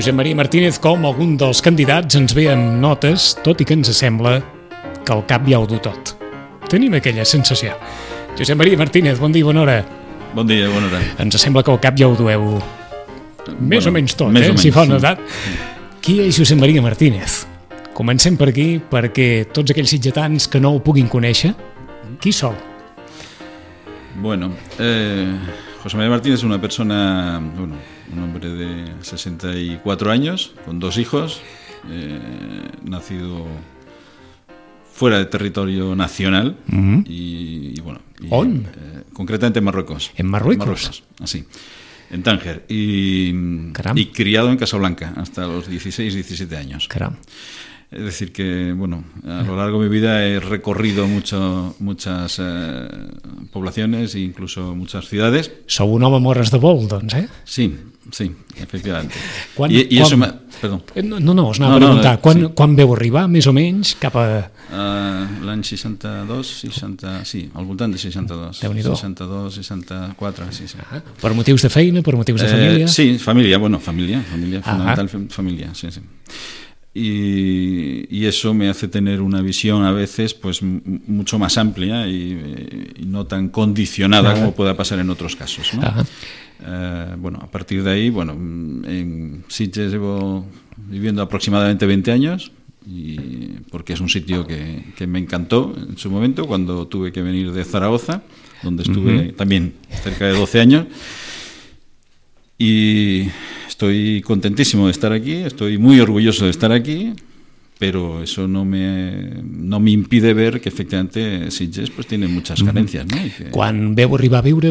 Josep Maria Martínez, com algun dels candidats, ens ve amb notes, tot i que ens sembla que el cap ja ho du tot. Tenim aquella sensació. Josep Maria Martínez, bon dia, bona hora. Bon dia, bona hora. Ens sembla que el cap ja ho dueu més o menys tot, si fa una edat. Qui és Josep Maria Martínez? Comencem per aquí, perquè tots aquells sitgetans que no ho puguin conèixer, qui sou? Bueno, José María Martínez es una persona, un hombre de 64 años, con 2 hijos, nacido fuera del territorio nacional y concretamente en Marruecos. ¿En Marruecos? Así, en Tánger, y criado en Casablanca hasta los 16, 17 años. Caramba. Es decir que, a lo largo de mi vida he recorrido muchas poblaciones e incluso muchas ciudades. Sou un home morres de vol, doncs, eh? Sí, efectivament. Perdó. No, us anava a preguntar. Quan veu arribar, més o menys, cap a... L'any 62, al voltant de 62. Déu-n'hi-do. 62, 64, sí. Per motius de feina, per motius de família? Sí, familia, fundamental familia, sí. Y eso me hace tener una visión a veces pues mucho más amplia y no tan condicionada como pueda pasar en otros casos, ¿no? A partir de ahí, en Sitges llevo viviendo aproximadamente 20 años porque es un sitio que me encantó en su momento cuando tuve que venir de Zaragoza, donde estuve también cerca de 12 años. Y estoy contentísimo de estar aquí, estoy muy orgulloso de estar aquí, pero eso no me impide ver que efectivamente Sitges pues tiene muchas carencias, ¿no? Quan veu arribar a viure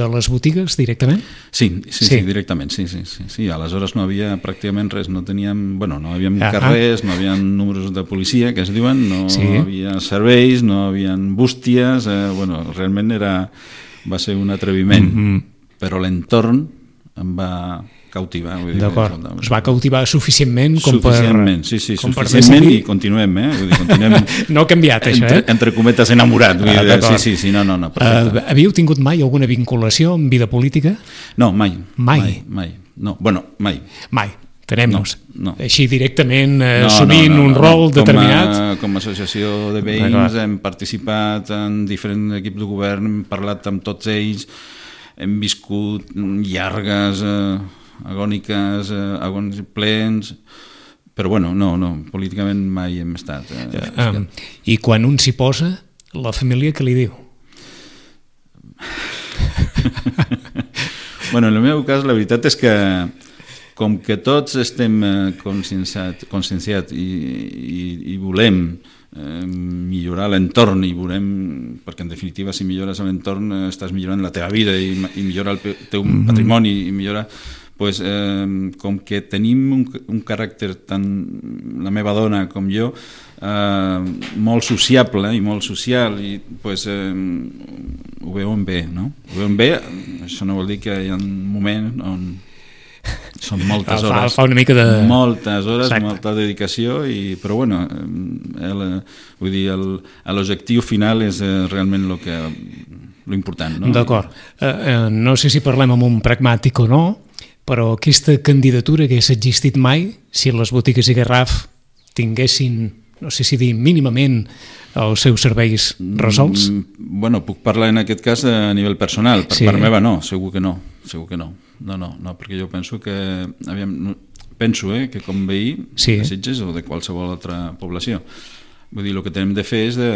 a les botigues directament? Sí, directament, sí. Aleshores no havia pràcticament res, no havia carrers, no havia números de policia, que es diuen, no havia serveis, no havia bústies, realment va ser un atreviment, però l'entorn em va cautivar. D'acord, us va cautivar suficientment com suficientment, per... Sí, suficientment i continuem, continuem no ha canviat, això, entre cometes enamorat. Sí, no. Havíeu tingut mai alguna vinculació amb vida política? No, mai. Mai? No, mai. Mai. Tenem-nos. No. Així directament assumint un rol determinat? Com a associació de veïns hem participat en diferents equips de govern, hem parlat amb tots ells, hem viscut llargues, agòniques, plens, però no, políticament mai hem estat. I quan un s'hi posa, la família què li diu? En el meu cas la veritat és que com que tots estem conscienciats i volem millorar l'entorn i volem, perquè en definitiva si millores l'entorn estàs millorant la teva vida i millora el teu patrimoni i millora, com que tenim un caràcter tant la meva dona com jo molt sociable i molt social i ho veuen bé, no? Ho veuen bé, això no vol dir que hi ha un moment on són moltes hores, fa una mica de... moltes hores, molta dedicació, però vull dir, l'objectiu final és realment lo important, no? D'acord. No sé si parlem amb un pragmàtic o no, però aquesta candidatura hagués existit mai si les botigues i Garraf tinguessin, no sé si dir mínimament, els seus serveis resolts? Puc parlar en aquest cas a nivell personal, per part meva no, segur que no. No, perquè jo penso que que com veí de Sitges o de qualsevol altra població, vull dir, el que tenim de fer és de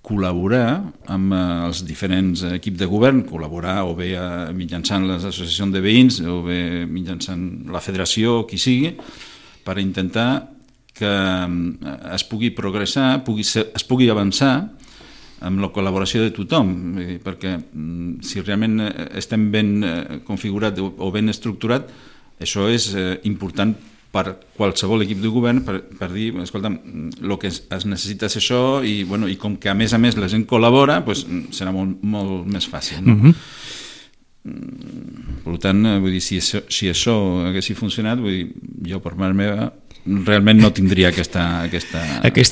col·laborar amb els diferents equips de govern, col·laborar o bé mitjançant les associacions de veïns o bé mitjançant la federació o qui sigui, per intentar que es pugui progressar, es pugui avançar amb la col·laboració de tothom, perquè si realment estem ben configurat o ben estructurat, això és important per qualsevol equip de govern per dir, escolta'm, el que es necessita és això i com que a més la gent col·labora, serà molt més fàcil, no? Per tant, vull dir, si això hagués funcionat, vull dir, jo per part meva realment no tindria aquesta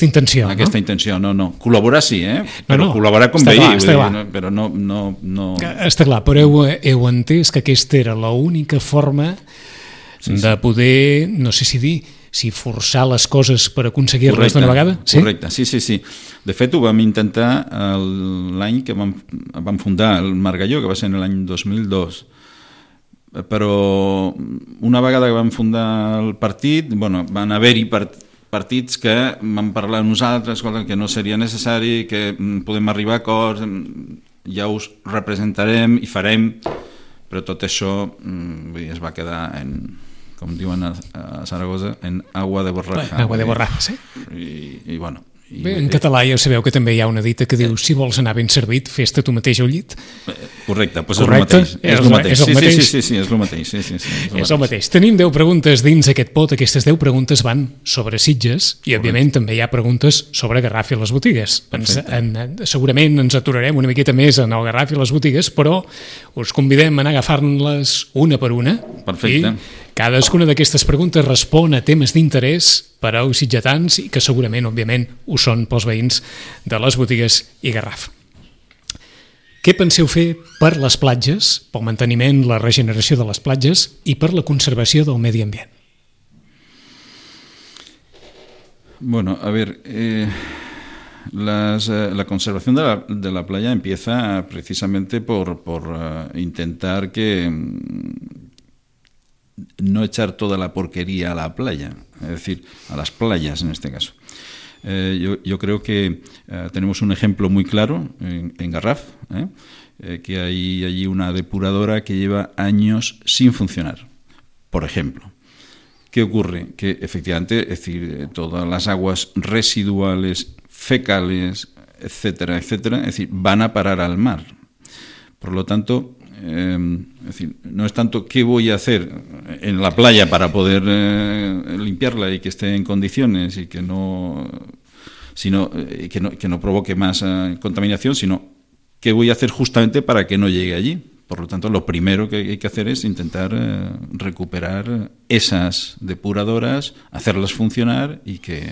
intenció. Aquesta intenció, no. Col·laborar sí, però col·laborar com veí, però no... Està clar, però heu entès que aquesta era l'única forma de poder, no sé si dir, si forçar les coses per aconseguir-les d'una vegada. Sí? Correcte, sí. De fet, ho vam intentar l'any que vam fundar el Margalló, que va ser l'any 2002. Però una vegada que vam fundar el partit, van haver-hi partits que van parlar a nosaltres que no seria necessari, que podem arribar a acords, ja us representarem i farem, però tot això es va quedar en, com diuen a Saragossa, en agua de borraja. Agua de borraja, sí. I bueno... Bé, en català ja sabeu que també hi ha una dita que diu si vols anar ben servit, fes-te tu mateix al llit. Correcte, doncs és el mateix. Sí, és el mateix. És el mateix. Tenim 10 preguntes dins aquest pot. Aquestes 10 preguntes van sobre Sitges i, òbviament, també hi ha preguntes sobre Garraf i les botigues. Segurament ens aturarem una miqueta més en el Garraf i les botigues, però us convidem a anar agafant-les una per una. Perfecte. I cadascuna d'aquestes preguntes respon a temes d'interès per als sitgetans i que segurament, òbviament, ho són pels veïns de les botigues i Garraf. Què penseu fer per les platges, pel manteniment, la regeneració de les platges i per la conservació del medi ambient? Bueno, a ver, la conservación de la playa empieza precisamente por intentar que no echar toda la porquería a la playa, es decir, a las playas en este caso. Yo creo que tenemos un ejemplo muy claro en Garraf, que hay allí una depuradora que lleva años sin funcionar, por ejemplo. ¿Qué ocurre? Que efectivamente, es decir, todas las aguas residuales, fecales, etcétera, es decir, van a parar al mar. Por lo tanto, es decir, no es tanto qué voy a hacer en la playa para poder limpiarla y que esté en condiciones y que no provoque más contaminación, sino qué voy a hacer justamente para que no llegue allí. Por lo tanto, lo primero que hay que hacer es intentar recuperar esas depuradoras, hacerlas funcionar y que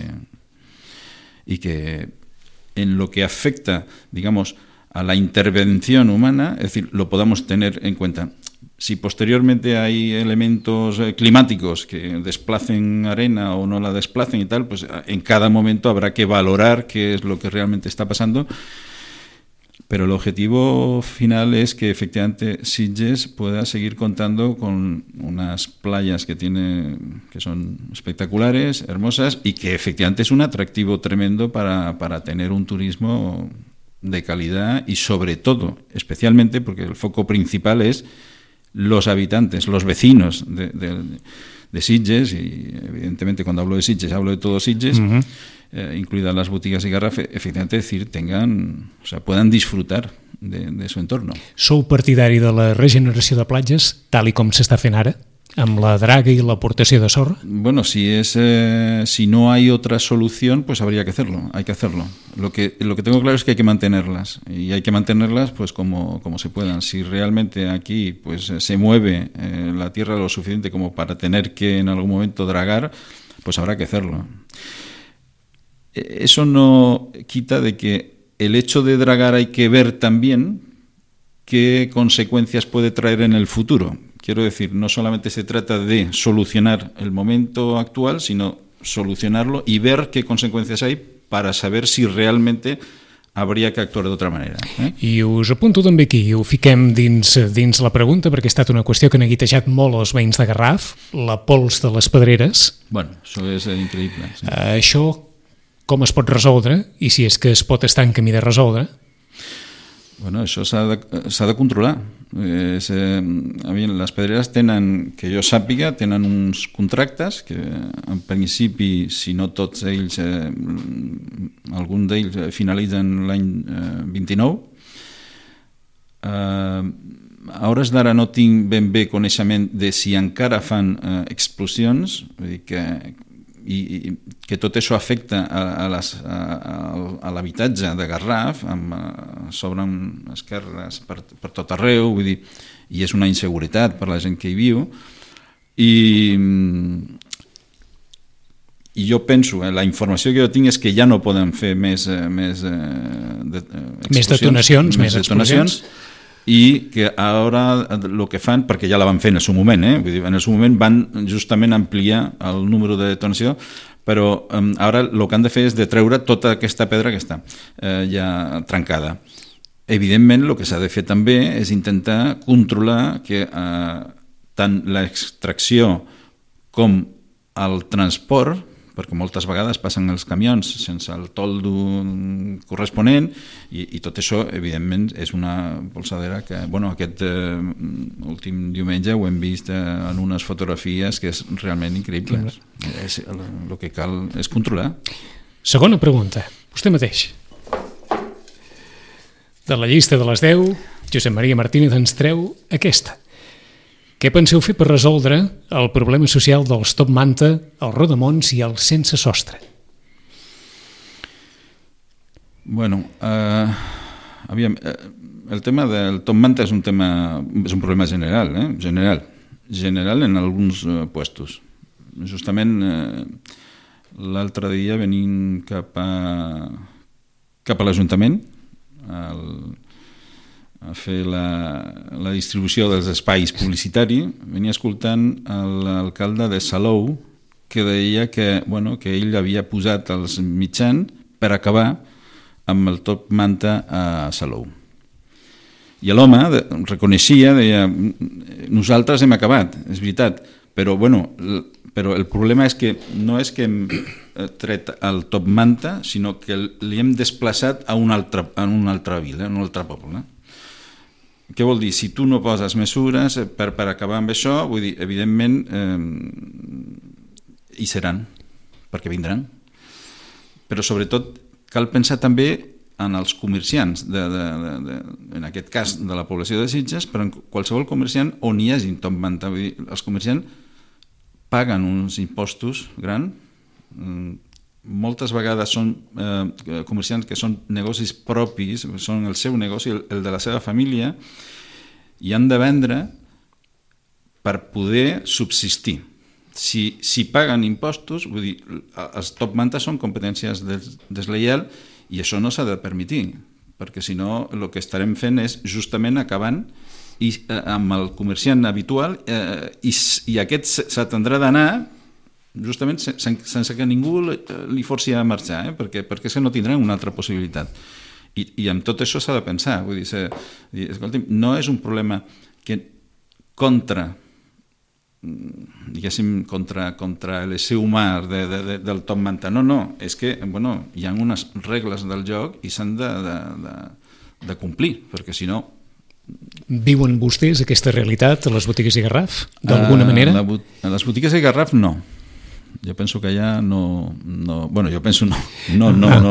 en lo que afecta, digamos, a la intervención humana, es decir, lo podamos tener en cuenta. Si posteriormente hay elementos climáticos que desplacen arena o no la desplacen y tal, pues en cada momento habrá que valorar qué es lo que realmente está pasando. Pero el objetivo final es que efectivamente Sitges pueda seguir contando con unas playas que son espectaculares, hermosas y que efectivamente es un atractivo tremendo para tener un turismo de calidad y sobre todo, especialmente porque el foco principal es los habitantes, los vecinos de Sitges, y evidentemente cuando hablo de Sitges hablo de todo Sitges, incluidas las botigas y Garraf, efectivamente decir, puedan disfrutar de su entorno. Sou partidari de la regeneració de platges, tal i com s'està fent ara? ¿Amb la draga y la aportación de sorra? Bueno, si no hay otra solución, pues habría que hacerlo, hay que hacerlo. Lo que tengo claro es que hay que mantenerlas, y hay que mantenerlas pues como se puedan. Si realmente aquí pues se mueve la tierra lo suficiente como para tener que en algún momento dragar, pues habrá que hacerlo. Eso no quita de que el hecho de dragar hay que ver también qué consecuencias puede traer en el futuro. Quiero decir, no solamente se trata de solucionar el momento actual, sino solucionarlo y ver qué consecuencias hay para saber si realmente habría que actuar de otra manera. I us apunto també aquí, ho fiquem dins la pregunta, perquè ha estat una qüestió que han neguitejat molt els veïns de Garraf, la pols de les pedreres. Bueno, això és increïble. Sí. Això com es pot resoldre, i si és que es pot estar en camí de resoldre? Bueno, això s'ha de controlar. Les pedreres tenen, que jo sàpiga, tenen uns contractes que en principi, si no tots ells, algun d'ells finalitzen l'any 29. A hores d'ara no tinc ben bé coneixement de si encara fan explosions, vull dir que tot això afecta a l'habitatge de Garraf, s'obren esquerres per tot arreu, vull dir, i és una inseguretat per la gent que hi viu, i jo penso, la informació que jo tinc és que ja no poden fer més detonacions, i que ara el que fan, perquè ja la van fer en el seu moment, vull dir, en el seu moment van justament ampliar el número de detonació, però ara el que han de fer és de treure tota aquesta pedra que està ja trencada. Evidentment, el que s'ha de fer també és intentar controlar que tant l'extracció com el transport, perquè moltes vegades passen els camions sense el toldo corresponent i tot això, evidentment, és una polsadera que, aquest últim diumenge ho hem vist en unes fotografies que és realment increïble. El que cal és controlar. Segona pregunta, vostè mateix. De la llista de les 10, Josep Maria Martínez ens treu aquesta. Què penseu fer per resoldre el problema social dels top manta, els rodamons i els sense sostre? Aviam, el tema del top manta és un problema general, general en alguns puestos. Justament l'altre dia venint cap a l'Ajuntament a fer la distribució dels espais publicitaris, venia escoltant l'alcalde de Salou que deia que ell havia posat els mitjans per acabar amb el top manta a Salou. I l'home reconeixia, deia, nosaltres hem acabat, és veritat, però el problema és que no és que hem tret el top manta, sinó que li hem desplaçat a una altra vila, a un altre poble. Què vol dir? Si tu no poses mesures per acabar amb això, vull dir, evidentment hi seran, perquè vindran. Però sobretot cal pensar també en els comerciants, en aquest cas de la població de Sitges, però en qualsevol comerciant on hi hagi top manta. Vull dir, els comerciants paguen uns impostos grans, moltes vegades són comerciants que són negocis propis, són el seu negoci, el de la seva família, i han de vendre per poder subsistir. Si paguen impostos, vull dir, els top manta són competències deslleials i això no s'ha de permetir, perquè si no el que estarem fent és justament acabant amb el comerciant habitual i aquest s'atendrà d'anar justament sense que ningú li forci a marxar, perquè és que no tindran una altra possibilitat. I amb tot això s'ha de pensar. Vull dir, escolti'm, no és un problema que contra l'ésser humà del top manta. No, és que hi ha unes regles del joc i s'han de complir, perquè si no... Viuen vostès aquesta realitat a les botigues i Garraf, d'alguna manera? A les botigues i Garraf no. Jo penso que allà no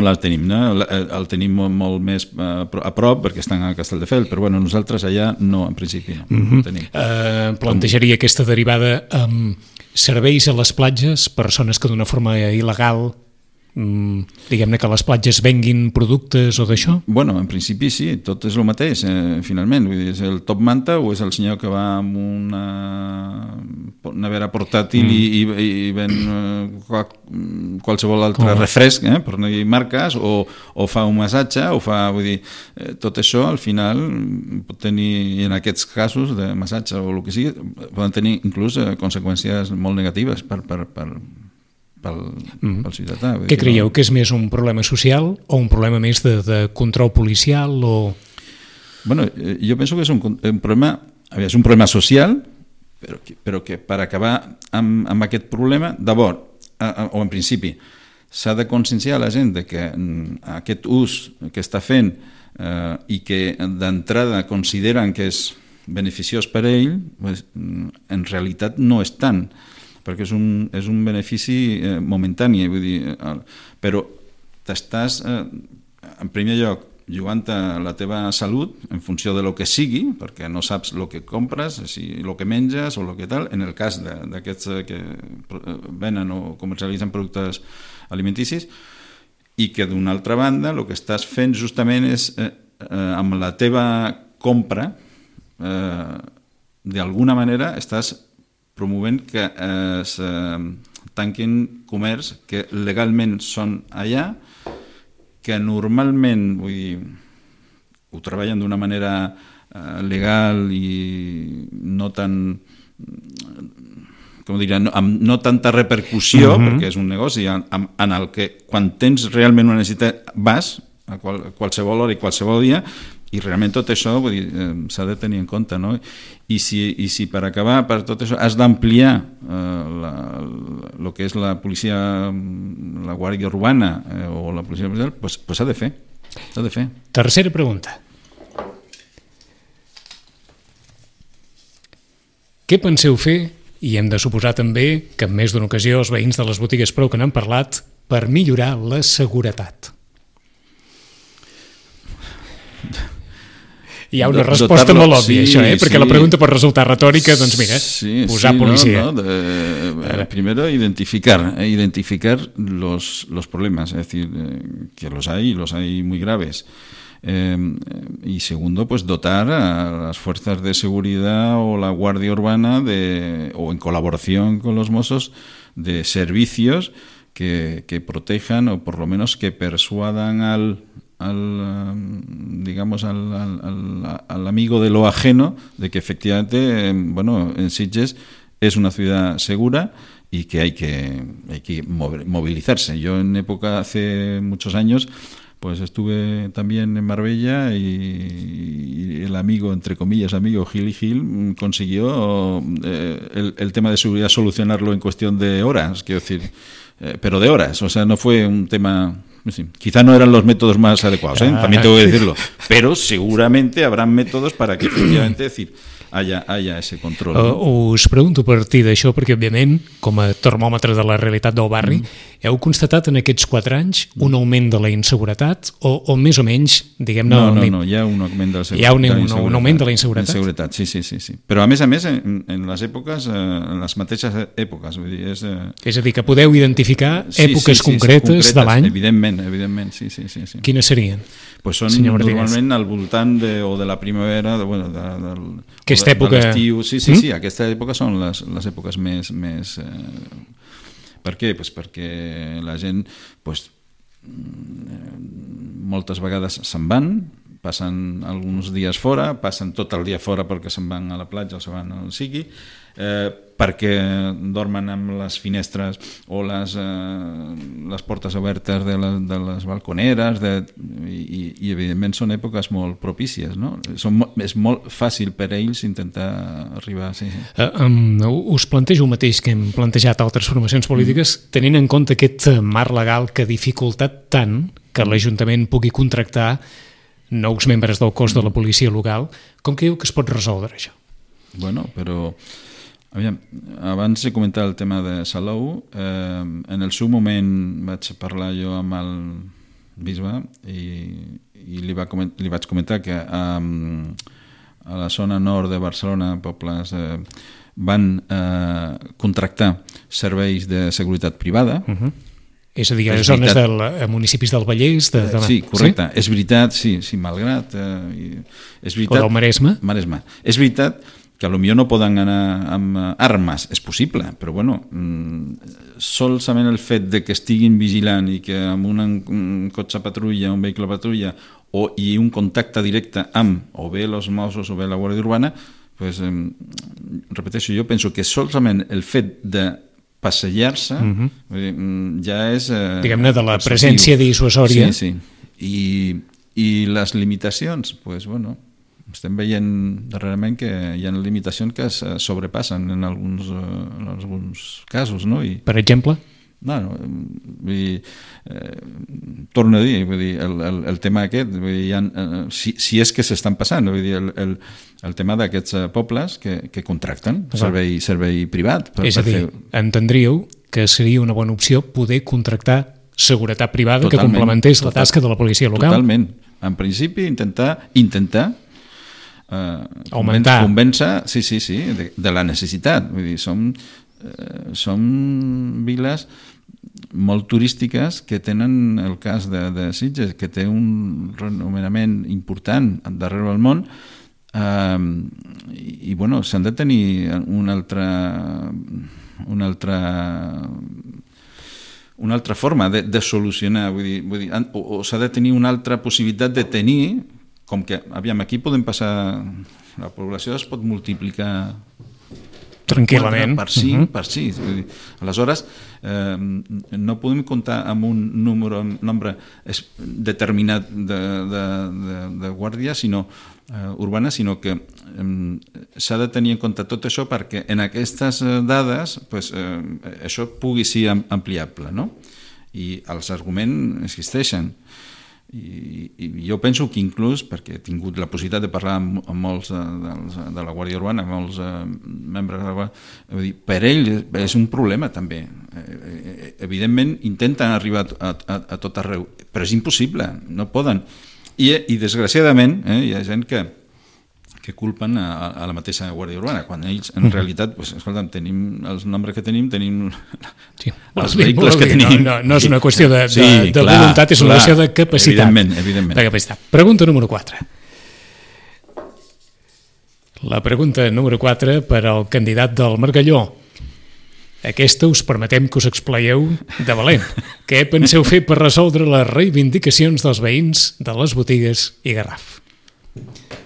la tenim, no? El tenim molt més a prop perquè estan a Castelldefels, però nosaltres allà no, en principi no tenim. Plantejaria aquesta derivada amb serveis a les platges, persones que d'una forma il·legal diguem-ne que les platges venguin productes o d'això? En principi sí, tot és el mateix, finalment. Vull dir, és el top manta o és el senyor que va amb una nevera portàtil i ven qualsevol altre refresc, per no dir marques, o fa un massatge, vull dir, tot això al final pot tenir, en aquests casos de massatge o el que sigui, poden tenir inclús conseqüències molt negatives pel ciutadà. Què creieu? Que és més un problema social o un problema més de control policial? Jo penso que és un problema social, però que per acabar amb aquest problema, d'abord, o en principi, s'ha de conscienciar a la gent que aquest ús que està fent i que d'entrada consideren que és beneficiós per a ell, en realitat no és tant, perquè és un benefici momentani, vull dir, però t'estàs, en primer lloc, jugant a la teva salut en funció de lo que sigui, perquè no saps el que compres, el que menges o el que tal, en el cas d'aquests que venen o comercialitzen productes alimenticis, i que d'una altra banda el que estàs fent justament és, amb la teva compra, d'alguna manera estàs promovent que es tanquin comerç que legalment són allà, que normalment ho treballen d'una manera legal i no tan, com diria, no tanta repercussió, perquè és un negoci en el que quan tens realment una necessitat vas a qualsevol hora i qualsevol dia, i realment tot això s'ha de tenir en compte, no? I si per acabar, per tot això, has d'ampliar el que és la policia, la Guàrdia Urbana o la policia policial, doncs s'ha de fer. S'ha de fer. Tercera pregunta. Què penseu fer, i hem de suposar també que en més d'una ocasió els veïns de les botigues prou que n'han parlat, per millorar la seguretat? Hi ha una resposta molt òbvia, això, perquè la pregunta pot resultar retòrica, doncs mira, posar policia. Primero identificar los problemas, es decir, que los hay muy graves. Y segundo, pues dotar a las fuerzas de seguridad o la Guardia Urbana o en colaboración con los Mossos de servicios que protejan o por lo menos que persuadan al amigo de lo ajeno de que efectivamente, en Sitges es una ciudad segura y que hay que movilizarse. Yo hace muchos años, pues estuve también en Marbella y el amigo, entre comillas, Gil consiguió el tema de seguridad solucionarlo en cuestión de horas, quiero decir, pero de horas, o sea, no fue un tema... Sí, quizá no eran los métodos más adecuados, también tengo que decirlo, pero seguramente habrán métodos para que efectivamente haya ese control. Us pregunto a partir d'això perquè, òbviament, com a termòmetre de la realitat del barri, heu constatat en aquests 4 anys un augment de la inseguretat o més o menys, diguem-ne... No, hi ha un augment de la seguretat. Hi ha un augment de la inseguretat? Sí. Però a més, en les èpoques, en les mateixes èpoques. Vull dir, és a dir, que podeu identificar èpoques concretes de l'any? Evidentment, sí. Quines serien? Pues són normalment al voltant de la primavera, aquesta època... de l'estiu. Sí, aquesta època són les èpoques més... Per què? Pues perquè la gent moltes vegades se'n van, passen alguns dies fora, passen tot el dia fora perquè se'n van a la platja o se'n van on sigui, perquè dormen amb les finestres o les portes obertes de les balconeres i evidentment són èpoques molt propícies, no? És molt fàcil per a ells intentar arribar... Us plantejo el mateix que hem plantejat altres formacions polítiques, tenint en compte aquest marc legal que ha dificultat tant que l'Ajuntament pugui contractar nous membres del cos de la policia local. Com creieu que es pot resoldre això? Bueno, però... Aviam, abans de comentar el tema de Salou, en el seu moment vaig parlar jo amb el bisbe i li vaig comentar que a la zona nord de Barcelona, pobles, van contractar serveis de seguretat privada. És a dir, a les zones de municipis del Vallès... Sí, correcte. És veritat, sí, malgrat... O del Maresme? Maresme. És veritat que potser no poden anar amb armes, és possible, però solament el fet de que estiguin vigilant i que amb un cotxe patrulla, un vehicle patrulla i un contacte directe amb o bé els Mossos o bé la Guàrdia Urbana, pues, repeteixo, jo penso que solament el fet de passejar-se ja és... Diguem-ne, de la presència dissuasòria. Sí. I les limitacions, pues, estem veient darrerament que hi ha limitacions que es sobrepassen en alguns casos, no? Per exemple? Torno a dir, el tema aquest, si és que s'estan passant, el tema d'aquests pobles que contracten servei privat. És a dir, entendríeu que seria una bona opció poder contractar seguretat privada que complementés la tasca de la policia local? Totalment. En principi, intentar augmentar, convèncer, de la necessitat. Vull dir, som viles molt turístiques que tenen el cas de Sitges, que té un renomenament important darrere del món, i s'han de tenir una altra forma de solucionar, vull dir, o s'ha de tenir una altra possibilitat de tenir com que, aviam, aquí podem passar, la població es pot multiplicar tranquil·lament per 6. Aleshores, no podem comptar amb un nombre determinat de guàrdies urbanes, sinó que s'ha de tenir en compte tot això perquè en aquestes dades això pugui ser ampliable, no? I els arguments existeixen. I jo penso que inclús, perquè he tingut la possibilitat de parlar amb molts de la Guàrdia Urbana, amb molts membres de la Guàrdia, per ells és un problema també. Evidentment intenten arribar a tot arreu, però és impossible, no poden. I desgraciadament hi ha gent que culpen a la mateixa Guàrdia Urbana, quan ells en realitat, escolta'm, tenim els nombres que tenim els vehicles que tenim. No és una qüestió de voluntat, és una qüestió de capacitat. Evidentment. De capacitat. Pregunta número 4. La pregunta número 4 per al candidat del Margalló. Aquesta us permetem que us explayeu de valent. Què penseu fer per resoldre les reivindicacions dels veïns de les botigues i Garraf?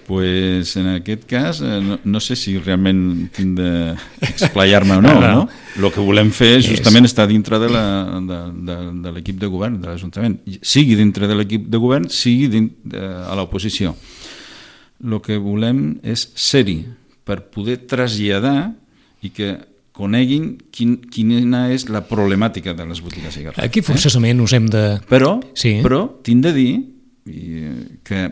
Pues en aquest cas no sé si realment tinc d'explayar-me o no. El que volem fer justament està dintre de l'equip de govern de l'Ajuntament, sigui dintre de l'equip de govern, sigui a l'oposició. El que volem és ser-hi per poder traslladar i que coneguin quina és la problemàtica de les botigues i Garraf. Aquí forçosament us hem de... Però tinc de dir que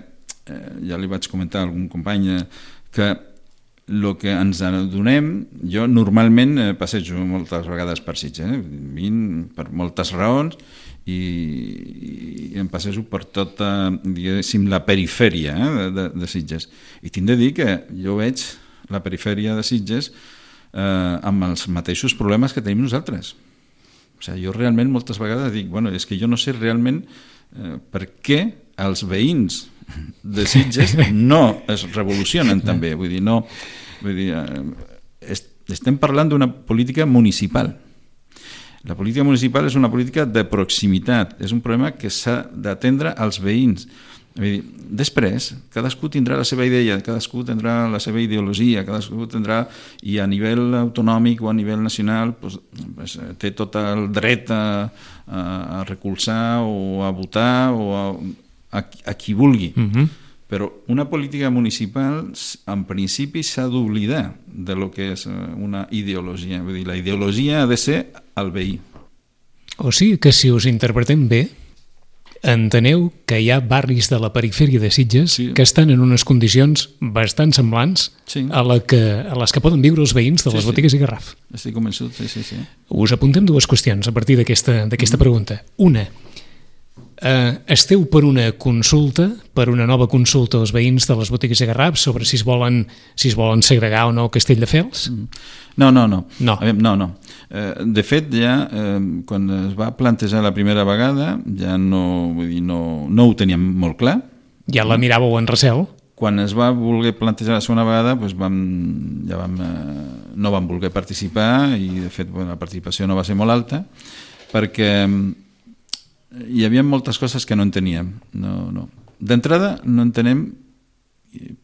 ja li vaig comentar a algun company que el que ens adonem, jo normalment passejo moltes vegades per Sitges, vinc per moltes raons i em passejo per tota, diguéssim, la perifèria de Sitges. I tinc de dir que jo veig la perifèria de Sitges amb els mateixos problemes que tenim nosaltres. O sigui, jo realment moltes vegades dic, és que jo no sé realment per què els veïns de Sitges no es revolucionen també, estem parlant d'una política municipal. La política municipal és una política de proximitat, és un problema que s'ha d'atendre als veïns. Després, cadascú tindrà la seva idea, cadascú tindrà la seva ideologia, cadascú tindrà, i a nivell autonòmic o a nivell nacional té tot el dret a recolzar o a votar o a qui vulgui. Però una política municipal en principi s'ha d'oblidar de lo que és una ideologia. Vull dir, la ideologia ha de ser el veí. O sigui que si us interpretem bé, enteneu que hi ha barris de la perifèria de Sitges que estan en unes condicions bastant semblants a les que poden viure els veïns de les botigues i Garraf. Estic convençut, sí. Us apuntem dues qüestions a partir d'aquesta pregunta. Una, esteu per una consulta, per una nova consulta als veïns de les botigues i Garraf sobre si es volen segregar o no Castelldefels? No. De fet, ja quan es va plantejar la primera vegada ja no ho teníem molt clar. Ja la miràveu en recel? Quan es va voler plantejar la segona vegada no vam voler participar i de fet la participació no va ser molt alta perquè hi havia moltes coses que no enteníem. D'entrada no entenem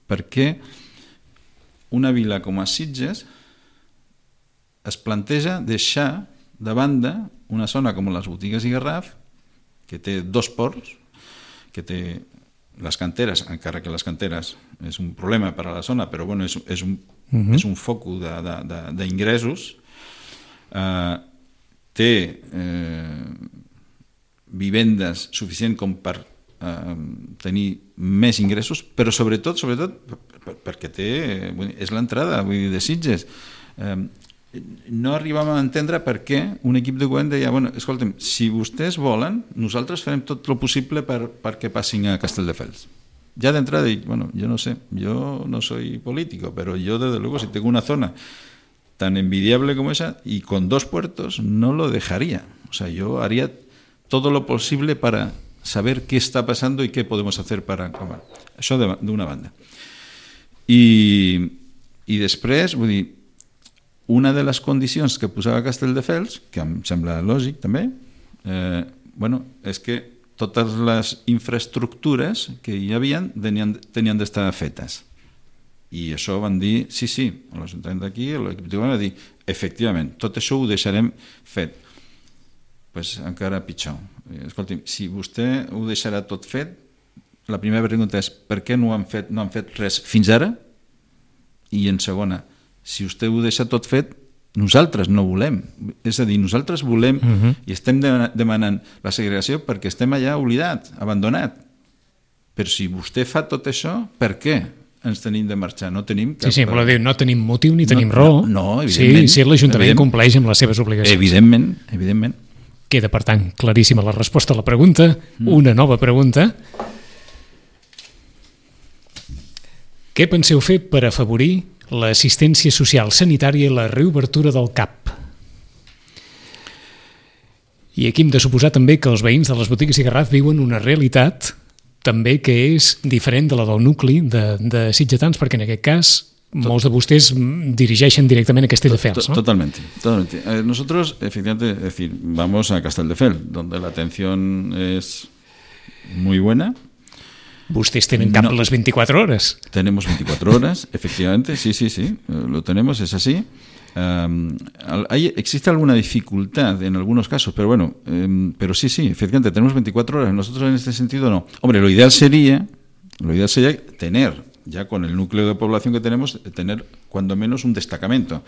per què una vila com a Sitges es planteja deixar de banda una zona com les botigues i Garraf, que té 2 ports, que té les canteres, encara que les canteres és un problema per a la zona, però és un focus d'ingressos, té vivendes suficient com per tenir més ingressos, però sobretot perquè és l'entrada de Sitges. No arribàvem a entendre per què un equip de govern deia, escolta'm, si vostès volen, nosaltres farem tot el possible perquè passin a Castelldefels. Ya de entrada dic, yo no sé, yo no soy político, pero yo desde luego si tengo una zona tan envidiable como esa y con 2 puertos no lo dejaría. O sea, yo haría todo lo posible para saber qué está pasando y qué podemos hacer para acabar. Això d'una banda. I després, vull dir, una de les condicions que posava Castelldefels, que em sembla lògic també, és que totes les infraestructures que hi havia tenien d'estar fetes. I això van dir, sí, l'Ajuntament d'aquí, l'equip va dir, efectivament, tot això ho deixarem fet. Pues encara pitjor. Escolti'm, si vostè ho deixarà tot fet, la primera pregunta és per què no han fet res fins ara? I en segona, si vostè ho deixa tot fet, nosaltres no volem. És a dir, nosaltres volem i estem demanant la segregació perquè estem allà oblidat, abandonat. Però si vostè fa tot això, per què ens tenim de marxar? No tenim cap... Sí, voleu dir, no tenim motiu ni tenim raó. No, evidentment. Sí, l'Ajuntament compleix amb les seves obligacions. Evidentment. Queda, per tant, claríssima la resposta a la pregunta. Una nova pregunta. Què penseu fer per afavorir l'assistència social sanitària i la reobertura del CAP? I aquí hem de suposar també que els veïns de les botigues i Garraf viuen una realitat també que és diferent de la del nucli de sitgetans, perquè en aquest cas molts de vostès dirigeixen directament a Castelldefels, ¿no? Totalmente. Nosotros, efectivamente, es decir, vamos a Castelldefels, donde la atención es muy buena. Ustedes tienen CAP las 24 horas. Tenemos 24 horas, efectivamente, sí, lo tenemos, es así. Existe alguna dificultad en algunos casos, pero bueno, pero sí, efectivamente, tenemos 24 horas. Nosotros en este sentido no. Hombre, lo ideal sería tener, ya con el núcleo de población que tenemos, tener cuando menos un destacamento,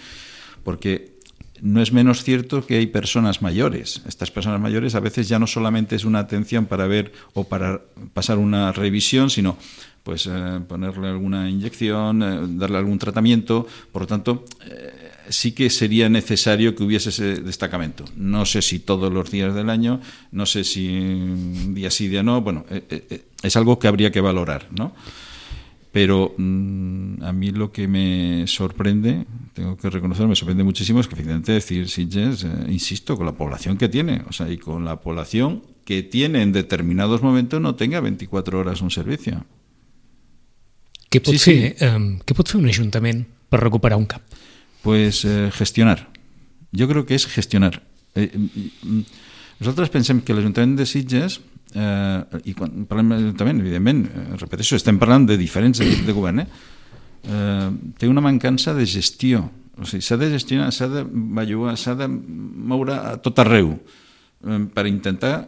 porque no es menos cierto que hay personas mayores. Estas personas mayores a veces ya no solamente es una atención para ver o para pasar una revisión, sino pues ponerle alguna inyección, darle algún tratamiento. Por lo tanto, sí que sería necesario que hubiese ese destacamento. No sé si todos los días del año, no sé si día sí, día no. Bueno, es algo que habría que valorar, ¿no? Pero a mí lo que me sorprende, tengo que reconocer, me sorprende muchísimo, es que efectivamente decir Sitges, insisto, con la población que tiene, o sea, y con la población que tiene en determinados momentos, no tenga 24 horas un servicio. Què pot fer un ajuntament per recuperar un CAP? Pues gestionar. Yo creo que es gestionar. Nosaltres pensem que l'Ajuntament de Sitges, i quan parlem d'Ajuntament, evidentment, repeteixo, estem parlant de diferents equips de govern, té una mancança de gestió. O sigui, s'ha de gestionar, s'ha de bellugar, s'ha de moure a tot arreu per intentar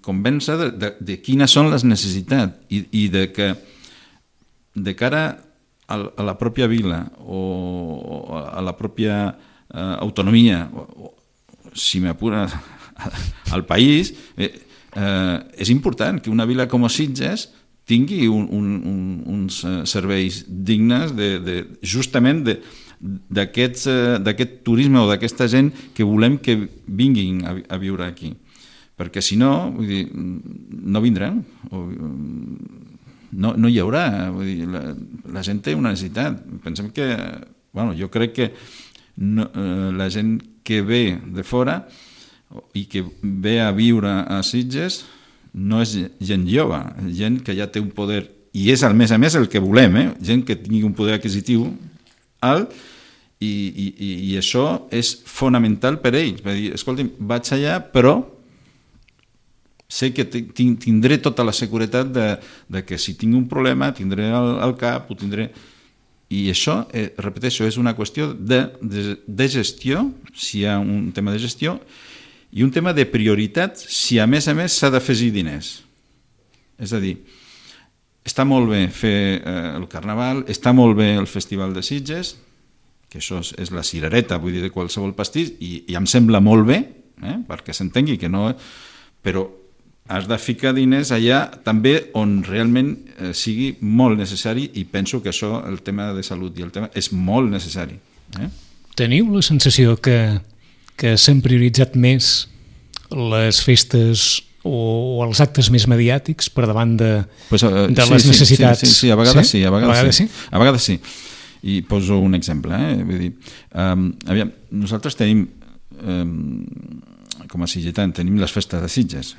convèncer de quines són les necessitats i de que de cara a la pròpia vila o a la pròpia autonomia, si m'apura, al país, és important que una vila com Sitges tingui uns serveis dignes justament d'aquest turisme o d'aquesta gent que volem que vinguin a viure aquí. Perquè si no, vull dir, no vindran, no hi haurà. Vull dir, la gent té una necessitat. Pensem que, bueno, jo crec que la gent que ve de fora i que ve a viure a Sitges no és gent jove, gent que ja té un poder, i és a més el que volem, gent que tingui un poder adquisitiu alt, i això és fonamental per ells. Va dir, escolti'm, vaig allà, però sé que tindré tota la seguretat de que si tinc un problema tindré el CAP, ho tindré... I això, repeteixo, és una qüestió de gestió, si hi ha un tema de gestió, i un tema de prioritat si a més s'ha d'afegir diners. És a dir, està molt bé fer el Carnaval, està molt bé el Festival de Sitges, que això és la cirereta, vull dir, de qualsevol pastís, i em sembla molt bé, perquè s'entengui que no... Però has de ficar diners allà també on realment sigui molt necessari, i penso que això, el tema de salut i el tema, és molt necessari. Teniu la sensació que s'han prioritzat més les festes o els actes més mediàtics per davant de les necessitats? Sí, a vegades sí. A vegades sí. I poso un exemple. Vull dir, aviam, nosaltres tenim, com a sitgetant, tenim les festes de Sitges,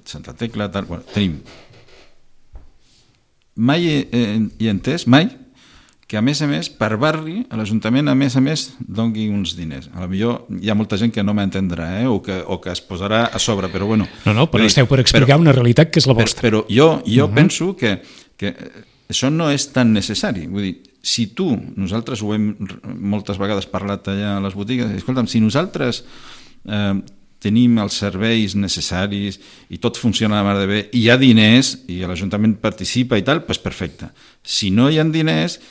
Santa Tecla, tal, bueno, tenim. Mai he entès, mai, que a més, per barri, l'Ajuntament, a més, doni uns diners. A lo millor hi ha molta gent que no m'entendrà, o que es posarà a sobre, però bueno... No, però esteu per explicar una realitat que és la vostra. Però jo penso que això no és tan necessari. Vull dir, si nosaltres ho hem moltes vegades parlat allà a les botigues, escolta'm, si nosaltres tenim els serveis necessaris i tot funciona a la mar de bé, i hi ha diners, i l'Ajuntament participa i tal, doncs perfecte. Si no hi ha diners,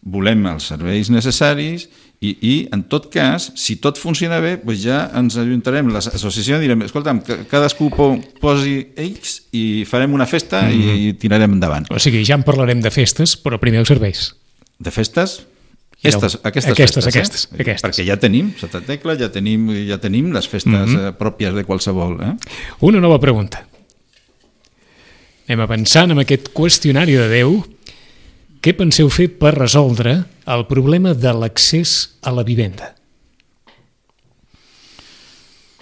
volem els serveis necessaris i en tot cas, si tot funciona bé, doncs ja ens ajuntarem l'associació i direm, escolta'm, cadascú posi X i farem una festa i tirarem endavant. O sigui, ja en parlarem de festes, però primer els serveis. De festes? Aquestes festes. Perquè ja tenim Santa Tecla, ja tenim les festes pròpies de qualsevol. Una nova pregunta. Anem avançant amb aquest qüestionari de Déu. Què penseu fer per resoldre el problema de l'accés a la vivenda?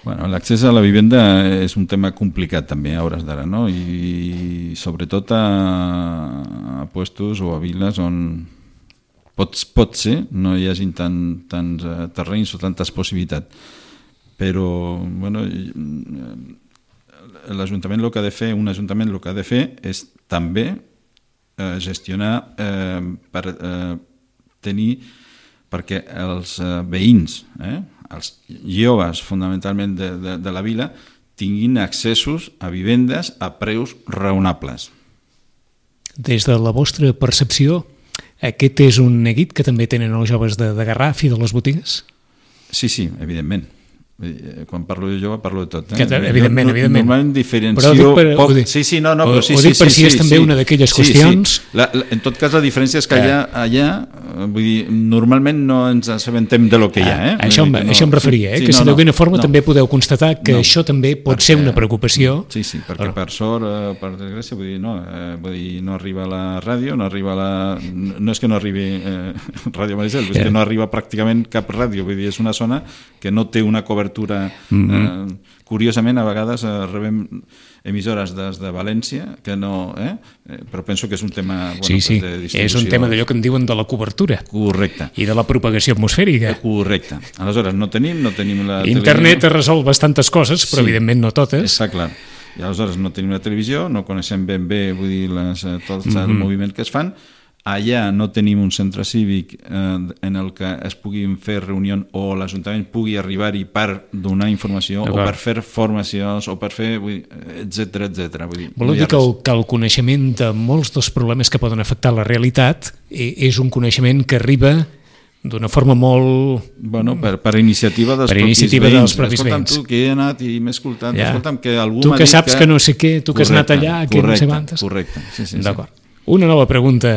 Bueno, l'accés a la vivenda és un tema complicat també a hores d'ara, no? I sobretot a puestos o a viles on pot ser no hi hagi tants terrenys o tantes possibilitats. Però, bueno, l'Ajuntament el que ha de fer, un Ajuntament el que ha de fer és també gestionar per tenir, perquè els veïns, els joves fonamentalment de la vila, tinguin accessos a vivendes a preus raonables. Des de la vostra percepció, aquest és un neguit que també tenen els joves de Garraf i de les botigues? Sí, evidentment. Quan parlo de jove parlo de tot. Evidentment. Normalment diferencio... Ho dic per si és també una d'aquelles qüestions... En tot cas, la diferència és que allà vull dir, normalment no ens assabentem de lo que hi ha. Això em referia, que si d'alguna forma també podeu constatar que això també pot ser una preocupació. Sí, perquè per sort, per desgràcia, vull dir, no arriba la ràdio, no és que no arribi Ràdio Maricel, és que no arriba pràcticament cap ràdio, vull dir, és una zona que no té una cobertura. Curiosament, a vegades rebem emissores des de València que no... però penso que és un tema de distribució. És un tema d'allò que en diuen de la cobertura. Correcte. I de la propagació atmosfèrica. Correcte. Aleshores, no tenim la Internet resol bastantes coses, però evidentment no totes. Està clar. I aleshores no tenim la televisió, no coneixem ben bé, vull dir, tots els moviments que es fan. Allà no tenim un centre cívic en el que es puguin fer reunions o l'Ajuntament pugui arribar-hi per donar informació o per fer formacions o per fer, etcètera. Voleu dir que el coneixement de molts dels problemes que poden afectar la realitat és un coneixement que arriba d'una forma molt... Bueno, per iniciativa dels propis veïns. Escolta'm, tu que he anat i m'he escoltat, escolta'm que algú m'ha dit que... Tu que saps que no sé què, tu que has anat allà, que no sé quantes... Correcte, sí. D'acord. Una nova pregunta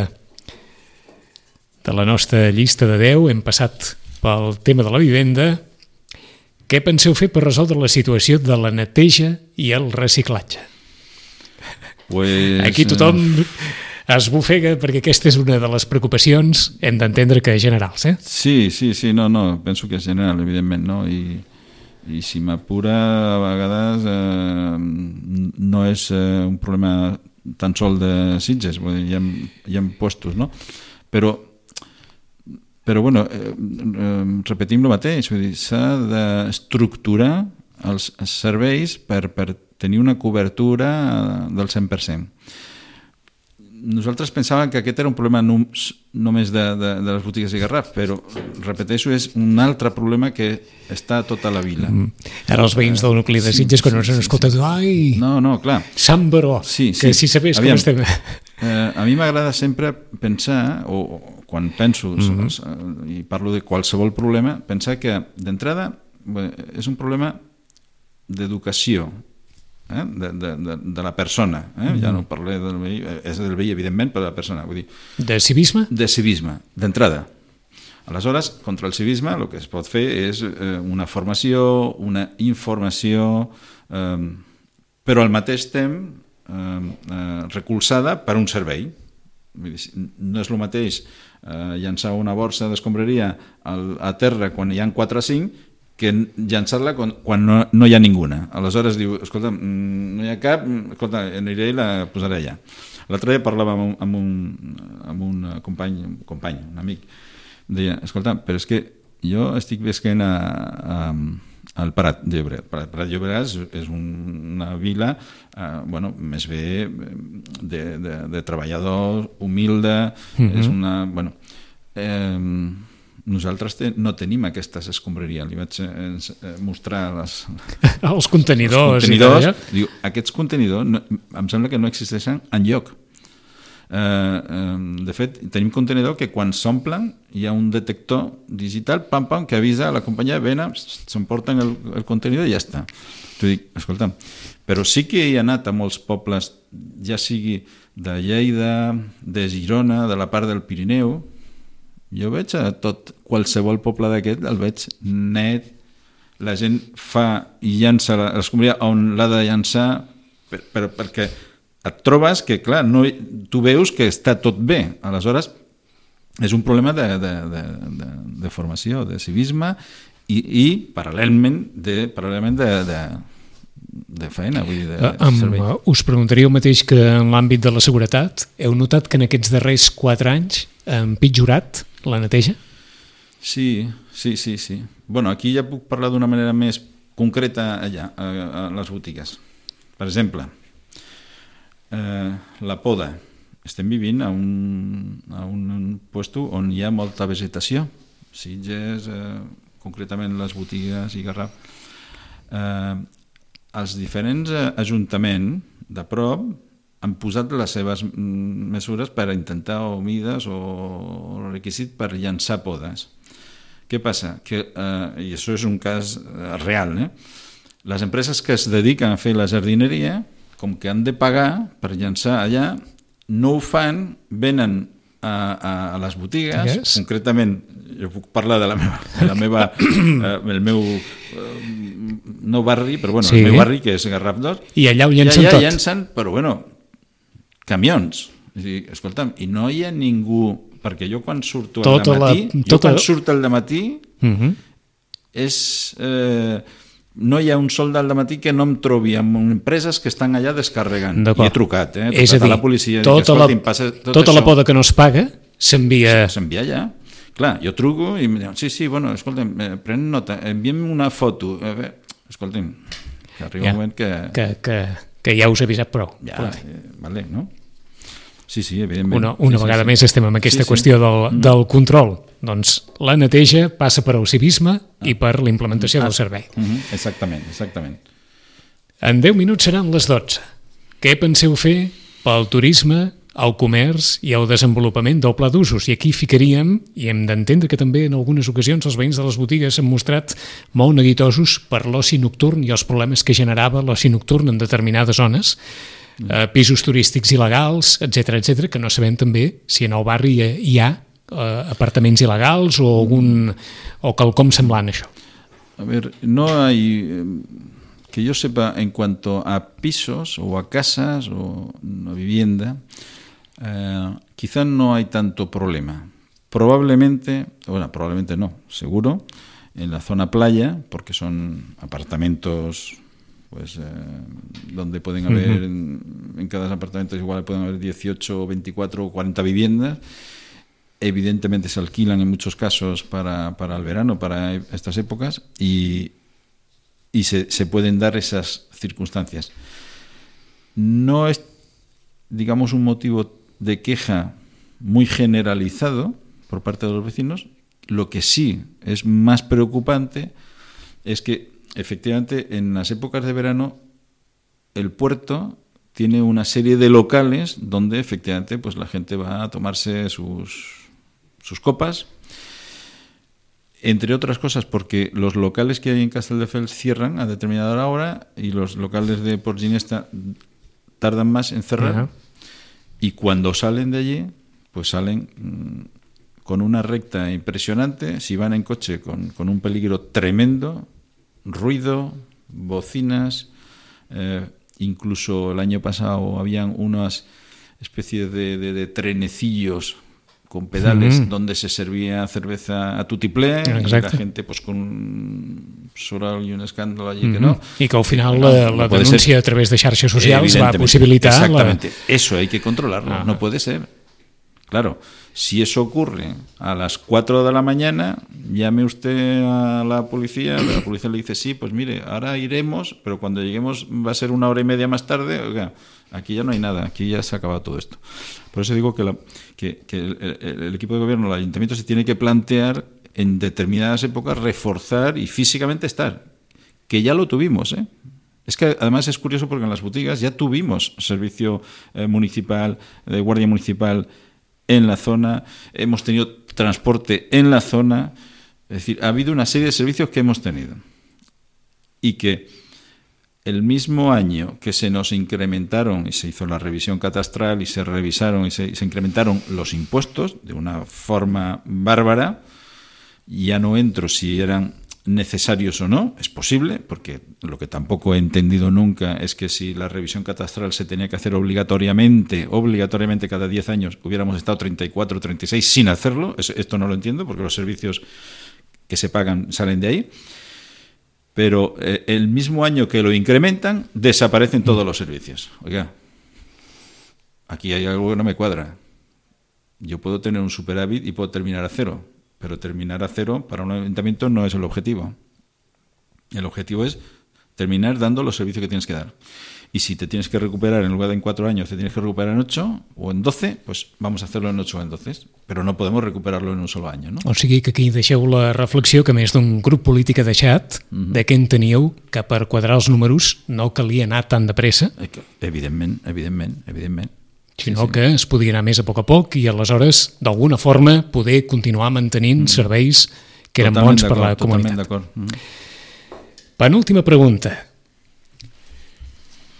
de la nostra llista de 10, hem passat pel tema de la vivenda. Què penseu fer per resoldre la situació de la neteja i el reciclatge? Aquí tothom es bufega perquè aquesta és una de les preocupacions, hem d'entendre que generals, Sí, no, penso que és general, evidentment, no? I si m'apura, a vegades no és un problema tan sol de Sitges, hi ha puestos, no? Però bueno, repetim el mateix, vull dir, s'ha d'estructurar els serveis per tenir una cobertura del 100%. Nosaltres pensàvem que aquest era un problema només de les botigues de Garraf, però, repeteixo, és un altre problema que està a tota la vila. Ara els veïns del nucli de Sitges, quan ens han escoltat, ai, no, clar. Sant Baró, que si sabés com estem... A mi m'agrada sempre pensar, o quan penso, i parlo de qualsevol problema, pensar que, d'entrada, és un problema d'educació, de la persona, ja no parlé del veí, és del veí evidentment, però de la persona, vull dir... De civisme? De civisme, d'entrada. Aleshores, contra el civisme el que es pot fer és una formació, una informació, però al mateix temps recolzada per un servei. No és el mateix llançar una borsa d'escombraria a terra quan hi ha 4 o 5 que llançar-la quan no hi ha ninguna. Aleshores diu, escolta, no hi ha cap, escolta, aniré i la posaré allà. L'altre dia parlàvem amb un company, un amic, em deia, escolta, però és que jo estic visquent al Prat de Llobregat. Prat de Llobregat és una vila més bé de treballadors, humilde, és una... Nosaltres no tenim aquestes escombraries. Li vaig mostrar els contenidors. Diu, aquests contenidors em sembla que no existeixen enlloc. De fet, tenim contenidor que quan s'omplen hi ha un detector digital que avisa a la companyia, s'emporten el contenidor i ja està. T'ho dic, escolta, però sí que he anat a molts pobles, ja sigui de Lleida, de Girona, de la part del Pirineu. Jo veig a qualsevol poble d'aquest, el veig net, la gent fa i llança l'escombraria on l'ha de llançar, perquè et trobes que, clar, tu veus que està tot bé. Aleshores, és un problema de formació, de civisme i paral·lelament de feina, vull dir, de servei. Us preguntaria el mateix que en l'àmbit de la seguretat. Heu notat que en aquests darrers 4 anys ha empitjorat la neteja? Sí. Bueno, aquí ja puc parlar d'una manera més concreta allà, a les botigues. Per exemple, la poda. Estem vivint a un puesto on hi ha molta vegetació. Sitges, concretament les botigues i Garraf. Els diferents ajuntaments de prop han posat les seves mesures per intentar o mides o requisit per llançar podes. Què passa? I això és un cas real, les empreses que es dediquen a fer la jardineria, com que han de pagar per llançar allà, no ho fan, venen a les botigues, concretament, jo puc parlar de el meu no barri, però bueno, el meu barri, que és Garraf 2, i allà ho llancen tot. Llancen, però bueno, camions. Escolta'm, i no hi ha ningú, perquè jo quan surto al dematí, no hi ha un sol del dematí que no em trobi amb empreses que estan allà descarregant. I he trucat, és a dir, la policia, tota la poda que no es paga s'envia allà. Clar, jo truco i em diuen, sí, bueno, escolta'm, pren nota, enviem una foto. Escolta'm, que arriba un moment que ja us he avisat prou. Vale, no? Sí, evidentment. Una vegada més estem amb aquesta qüestió del control. Doncs la neteja passa per al civisme i per l'implementació del servei. Exactament. En 10 minuts seran les 12. Què penseu fer pel turisme, el comerç i el desenvolupament del pla d'usos? I aquí ficaríem, i hem d'entendre que també en algunes ocasions els veïns de les botigues s'han mostrat molt neguitosos per l'oci nocturn i els problemes que generava l'oci nocturn en determinades zones, pisos turístics il·legals, etc, que no sabem també si en el barri hi ha apartaments il·legals o quelcom semblant a això. A ver, no hay, que yo sepa, en cuanto a pisos o a casas o a vivienda, quizá no hay tanto problema. Probablemente no, seguro, en la zona playa, porque son apartamentos donde pueden haber, en cada apartamento igual pueden haber 18, 24 o 40 viviendas. Evidentemente se alquilan en muchos casos para el verano, para estas épocas, y se pueden dar esas circunstancias. No es, digamos, un motivo de queja muy generalizado por parte de los vecinos. Lo que sí es más preocupante es que efectivamente en las épocas de verano el puerto tiene una serie de locales donde efectivamente pues la gente va a tomarse sus copas, entre otras cosas porque los locales que hay en Castelldefels cierran a determinada hora y los locales de Port Ginesta tardan más en cerrar. Y cuando salen de allí pues salen con una recta impresionante, si van en coche con un peligro tremendo, ruido, bocinas, incluso el año pasado habían unas especies de trenecillos con pedales donde se servía cerveza a tutiplé y la gente pues con un soral y un escándalo allí que no. Y que al final la denuncia a través de xarxes socials va possibilitar... Exactamente, eso hay que controlarlo, no puede ser. Claro, si eso ocurre a las 4 de la mañana, llame usted a la policía le dice, sí, pues mire, ahora iremos, pero cuando lleguemos va a ser 1 hora y media más tarde. Oiga, aquí ya no hay nada, aquí ya se ha acabado todo esto. Por eso digo que el equipo de gobierno, el ayuntamiento, se tiene que plantear en determinadas épocas reforzar y físicamente estar, que ya lo tuvimos, ¿eh? Es que además es curioso porque en las boutiques ya tuvimos servicio municipal, de guardia municipal en la zona, hemos tenido transporte en la zona, es decir, ha habido una serie de servicios que hemos tenido y que el mismo año que se nos incrementaron y se hizo la revisión catastral y se revisaron y se incrementaron los impuestos de una forma bárbara, ya no entro si eran necesarios o no, es posible, porque lo que tampoco he entendido nunca es que si la revisión catastral se tenía que hacer obligatoriamente cada 10 años, hubiéramos estado 34, 36 sin hacerlo. Esto no lo entiendo, porque los servicios que se pagan salen de ahí. Pero el mismo año que lo incrementan, desaparecen todos los servicios. Oiga, aquí hay algo que no me cuadra. Yo puedo tener un superávit y puedo terminar a cero, pero terminar a cero para un ayuntamiento no es el objetivo. El objetivo es terminar dando los servicios que tienes que dar. Y si te tienes que recuperar en lugar de en 4 años, te tienes que recuperar en 8 o en 12, pues vamos a hacerlo en 8 o en 12. Però no podem recuperar-lo en un solo any, no? O sigui que aquí deixeu la reflexió que més d'un grup polític ha deixat de què enteníeu que per quadrar els números no calia anar tan de pressa, Evidentment. sinó que es podia anar més a poc i aleshores, d'alguna forma, poder continuar mantenint serveis que eren bons per la comunitat. Totalment d'acord. Penúltima pregunta.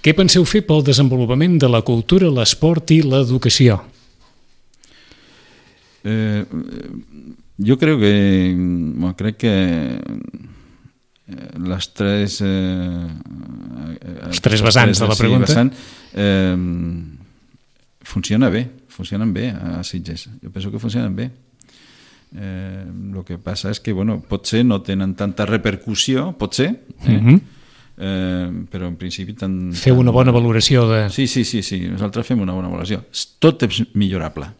Què penseu fer pel desenvolupament de la cultura, l'esport i l'educació? Yo creo que las tres vessants de la pregunta funcionen bé a Sitges. Jo penso que funcionen bé. Lo que passa és que, bueno, potser no tenen tanta repercussió, potser, però en principi... Feu una bona valoració de... Sí, nosaltres fem una bona valoració. Tot és millorable.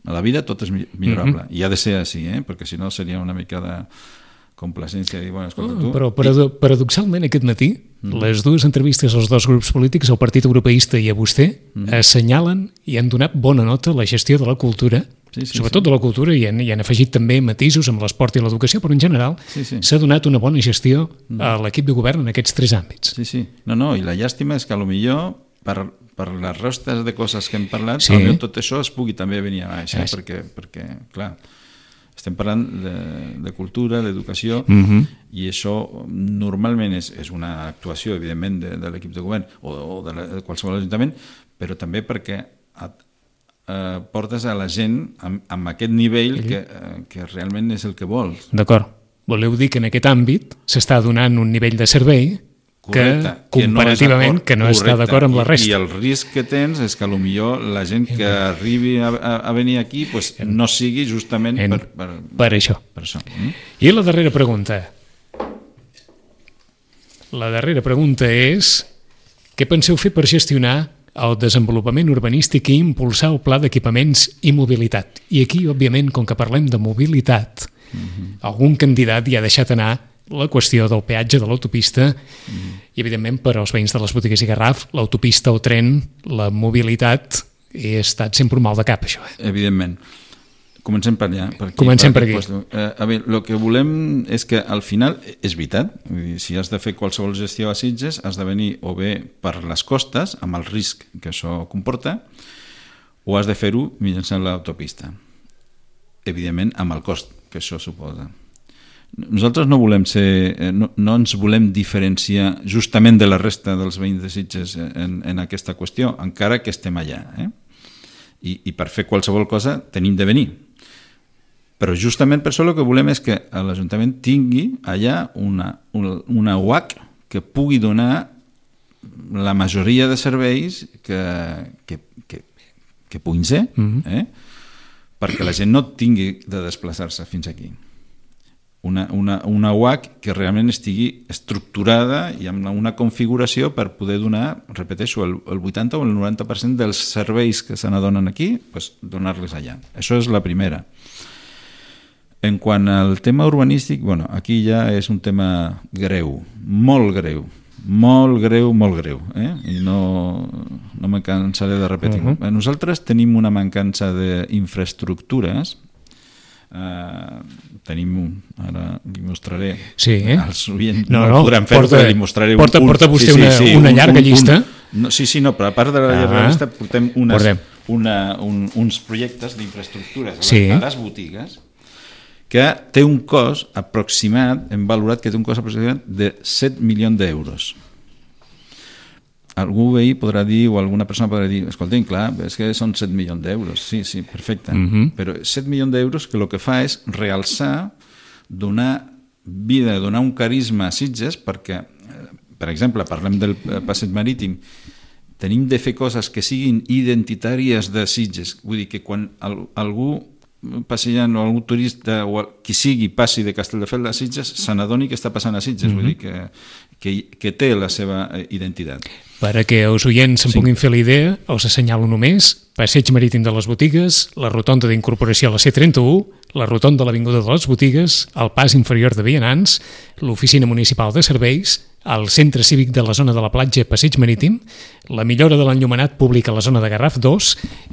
A la vida tot és millorable. I ha de ser així, perquè si no seria una mica de complacència. Dir, bueno, escolta, tu... Però paradoxalment aquest matí, les dues entrevistes als dos grups polítics, al Partit Europeista i a vostè, assenyalen i han donat bona nota a la gestió de la cultura, sobretot de la cultura, i han afegit també matisos amb l'esport i l'educació, però en general s'ha donat una bona gestió a l'equip de govern en aquests 3 àmbits. Sí. No, i la llàstima és que potser per les restes de coses que hem parlat, potser tot això es pugui també venir a baix, perquè, clar, estem parlant de cultura, d'educació, i això normalment és una actuació, evidentment, de l'equip de govern o de qualsevol ajuntament, però també perquè portes a la gent amb aquest nivell que realment és el que vols. D'acord. Voleu dir que en aquest àmbit s'està donant un nivell de servei que comparativament que no està d'acord amb la resta. I el risc que tens és que potser la gent que arribi a venir aquí pues, no sigui justament per això. I la darrera pregunta. La darrera pregunta és: què penseu fer per gestionar el desenvolupament urbanístic i impulsar el pla d'equipaments i mobilitat? I aquí, òbviament, com que parlem de mobilitat, algun candidat ja ha deixat anar la qüestió del peatge de l'autopista i, evidentment, per als veïns de les botigues i Garraf, l'autopista, el tren, la mobilitat, ha estat sempre un mal de cap, això. Evidentment. Comencem per allà. Comencem per aquí. A veure, el que volem és que al final, és veritat, si has de fer qualsevol gestió a Sitges, has de venir o bé per les costes, amb el risc que això comporta, o has de fer-ho mitjançant l'autopista. Evidentment, amb el cost que això suposa. Nosaltres no ens volem diferenciar justament de la resta dels veïns de Sitges en aquesta qüestió, encara que estem allà. I per fer qualsevol cosa tenim de venir. Però justament per això el que volem és que l'Ajuntament tingui allà una UAC que pugui donar la majoria de serveis que puguin ser, perquè la gent no tingui de desplaçar-se fins aquí. una UAC que realment estigui estructurada i amb una configuració per poder donar, repeteixo, el 80 o el 90% dels serveis que se n'adonen aquí, pues, donar-les allà. Això és la primera. En quant al tema urbanístic, bueno, aquí ja és un tema greu, molt greu, molt greu, molt greu, i no me cansaré de repetir. Nosaltres tenim una mancança d'infraestructures. Tenim ara li mostraré als oients, no podran fer, però li mostraré porta vostè una llarga llista. Però a part de la llarga llista portem uns projectes d'infraestructures a les botigues que té un cost aproximat, hem valorat que té un cost aproximat de 7 milions d'euros. Algú veí podrà dir, o alguna persona podrà dir, escolta'm, clar, és que són 7 milions d'euros. Sí, perfecte. Però 7 milions d'euros que el que fa és realçar, donar vida, donar un carisma a Sitges, perquè, per exemple, parlem del passeig marítim, tenim de fer coses que siguin identitàries de Sitges. Vull dir que quan algú passejant o algú turista o qui sigui passi de Castelldefels a Sitges se n'adoni que està passant a Sitges, vull dir que té la seva identitat. Per a que els oients se'n puguin fer la idea, els assenyalo només: passeig marítim de les Botigues, la rotonda d'incorporació a la C31, la rotonda de l'Avinguda de les Botigues, el pas inferior de vianants, l'oficina municipal de serveis, el centre cívic de la zona de la platja Passeig Marítim, la millora de l'enllumenat públic a la zona de Garraf 2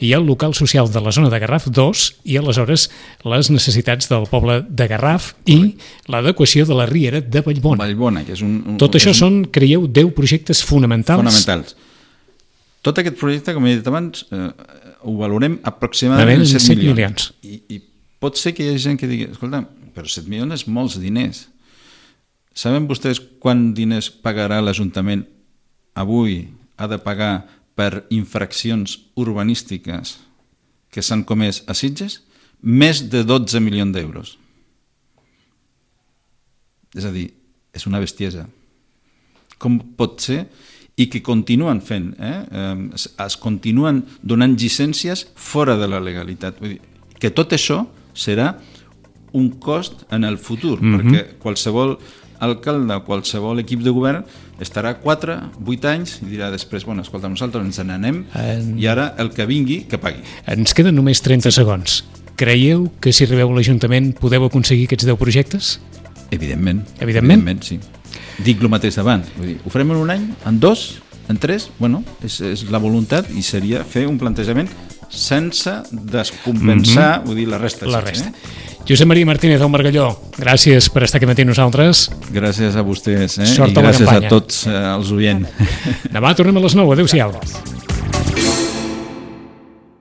i el local social de la zona de Garraf 2 i aleshores les necessitats del poble de Garraf i l'adequació de la riera de Vallbona. Que és un... Tot això són, creieu, 10 projectes fonamentals. Tot aquest projecte, com he dit abans, ho valorem aproximadament 7 milions. I pot ser que hi hagi gent que digui, escolta, però 7 milions és molts diners. Saben vostès quant diners pagarà l'Ajuntament avui, ha de pagar per infraccions urbanístiques que s'han comès a Sitges? Més de 12 milions d'euros. És a dir, és una bestiesa. Com pot ser? I que continuen fent, es continuen donant llicències fora de la legalitat. Vull dir, que tot això serà un cost en el futur, perquè qualsevol alcalde o qualsevol equip de govern estarà 4, 8 anys i dirà després, bueno, escolta, nosaltres ens n'anem i ara el que vingui, que pagui. Ens queden només 30 segons. Creieu que si arribeu a l'Ajuntament podeu aconseguir aquests 10 projectes? Evidentment. Evidentment, sí. Dic el mateix d'abans. Ho farem en un any, en 2, en 3? Bueno, és la voluntat i seria fer un plantejament sense descompensar, vull dir, la resta. Josep Maria Martínez del Margalló, gràcies per estar aquí matí amb nosaltres. Gràcies a vostès, Sort i gràcies a tots els oients. Demà tornem a les 9, adéu-siau.